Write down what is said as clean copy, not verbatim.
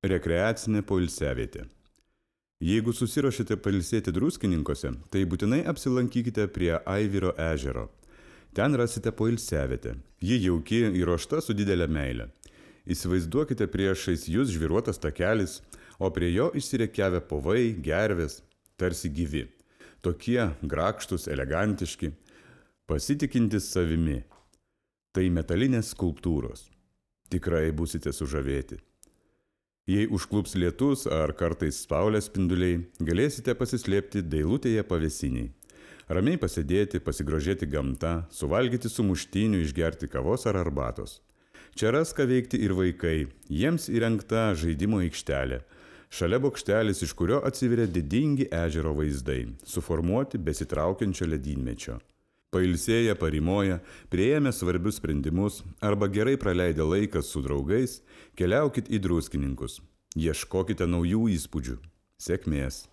Rekreacinė poilsiavietė. Jeigu susiruošite pailsėti Druskininkuose, tai būtinai apsilankykite prie Aiviro ežero. Ten rasite poilsiavietę. Ji jauki, įruošta su didelė meile. Įsivaizduokite priešais jūs žvyruotas takelis, o prie jo išsirekiavę povai, gervės, tarsi gyvi. Tokie grakštus, elegantiški, pasitikintis savimi. Tai metalinės skulptūros. Tikrai būsite sužavėti. Jei užklups lietus ar kartais saulės spinduliai, galėsite pasislėpti dailutėje pavėsiniai. Ramiai pasėdėti, pasigrožėti gamta, suvalgyti sumuštinių, išgerti kavos ar arbatos. Čia ras ką veikti ir vaikai, jiems įrengta žaidimo aikštelė. Šalia bokštelis, iš kurio atsiveria didingi ežero vaizdai, suformuoti besitraukiančio ledynmečio. Pailsėję, parimoję, priėmę svarbius sprendimus arba gerai praleidę laiką su draugais, keliaukit į Druskininkus. Ieškokite naujų įspūdžių. Sėkmės!